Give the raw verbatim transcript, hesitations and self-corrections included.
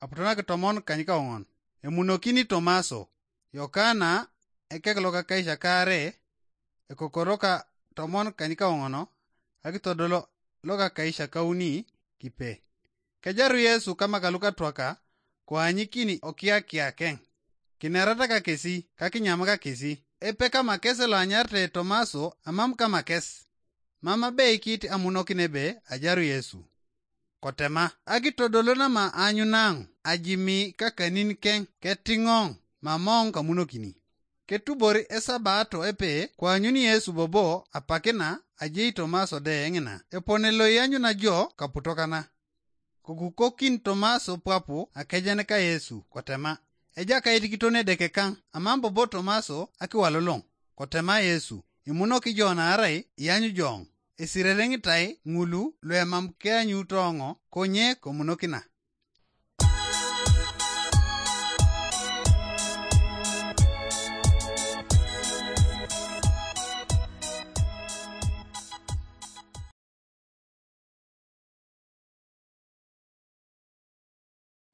aputo nakitomon kanykaoŋon. Emunokini Tomaso, Yokana ekek lokakaisakare, ekokoro ka tomon kanykaoŋon, akitodolo lokakaisakauni kipe. Kejaru Yesu kamaka lukatwaka, koanyikin okiakiakeŋ, kinerata kakesi kakinyam kakesi. Epe kamakes loanyarete Tomaso amam kamakes. Mam abeikit amunokin ebe ajaru Yesu. Kotema, akitodolo nama aanyunaŋ ajimi kakaninkeŋ ketiŋoŋ mamoŋ kamunokini. Ketubor esabato epe koanyun Yesu bobo apakina ajei Tomaso de ŋina epone loianyuna jo kaputokana. Kokukokin Tomaso pwapu akejen ka Yesu kotema, Ejakait kiton Edeke kaŋ, amam bobo Tomaso akiwaloloŋ. Kotema Yesu, Imunok jo naarai iyanyu joŋ. Esirere ŋitai ŋulu luemam keanyutoŋo konye komunokina.